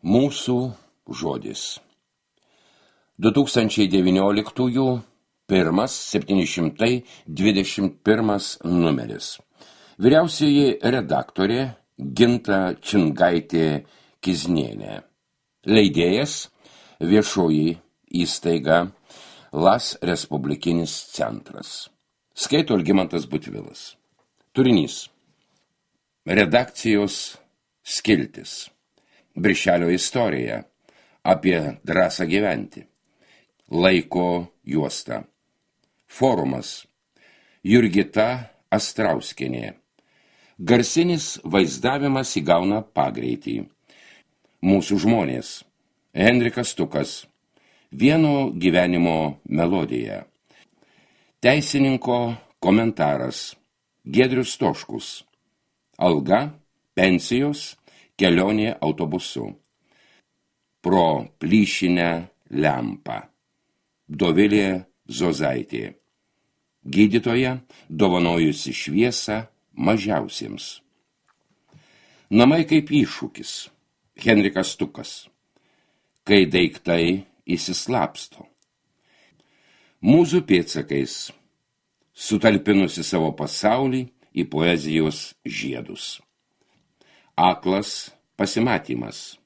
Mūsų žodis. 2019 721 numeris. Vyriausioji redaktorė Ginta Čingaitė Kiznienė. Leidėjas viešoji įstaiga Las Respublikinis centras. Skaito Algimantas Butvilas. Turinys. Redakcijos skiltis. Birželio istorija apie drąsą gyventi. Laiko juosta. Forumas. Jurgita Astrauskienė. Garsinis vaizdavimas įgauna pagreitį. Mūsų žmonės. Henrikas Stukas. Vieno gyvenimo melodija. Teisininko komentaras. Giedrius Stoškus. Alga, pensijos, kelionė autobusu. Pro plyšinę lempą. Dovilė Zozaitė. Gydytoja, dovanojusi šviesą mažiausiems. Namai kaip iššūkis. Henrikas Stukas. Kai daiktai įsislapsto. Mūzų pėdsakais. Sutalpinusi savo pasaulį į poezijos žiedus. Aklas pasimatymas.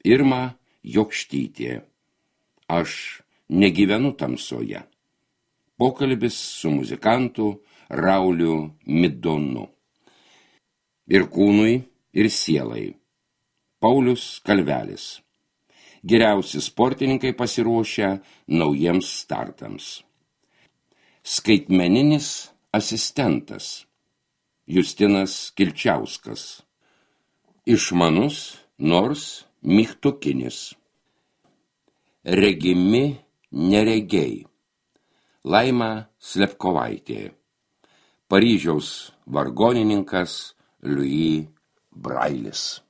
Irma Jokštytė. Aš negyvenu tamsoje. Pokalbis su muzikantu Rauliu Midonu. Ir kūnui, ir sielai. Paulius Kalvelis. Geriausi sportininkai pasiruošę naujiems startams. Skaitmeninis asistentas. Justinas Kilčiauskas. Išmanus, nors mygtukinis. Regimi neregiai. Laima Slepkovaitė. Paryžiaus vargonininkas Louis Brailis.